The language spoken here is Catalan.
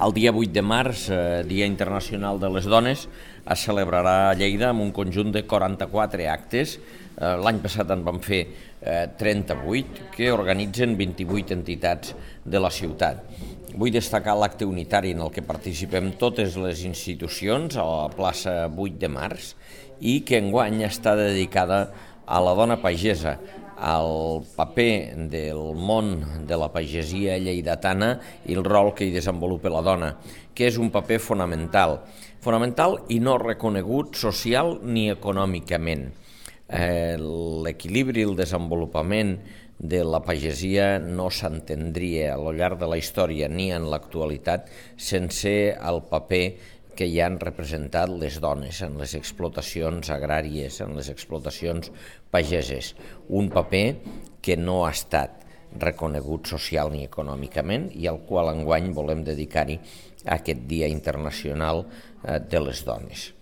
El dia 8 de març, Dia Internacional de les Dones, es celebrarà a Lleida amb un conjunt de 44 actes. L'any passat en vam fer 38, que organitzen 28 entitats de la ciutat. Vull destacar l'acte unitari en el que participem totes les institucions a la plaça 8 de març i que enguany està dedicada a la dona pagesa, al paper del món de la pagesia lleidatana i el rol que hi desenvolupa la dona, que és un paper fonamental i no reconegut social ni econòmicament. L'equilibri i el desenvolupament de la pagesia no s'entendria al llarg de la història ni en l'actualitat sense el paper que hi han representat les dones en les explotacions agràries, en les explotacions pageses. Un paper que no ha estat reconegut social ni econòmicament i al qual enguany volem dedicar-hi aquest Dia Internacional de les Dones.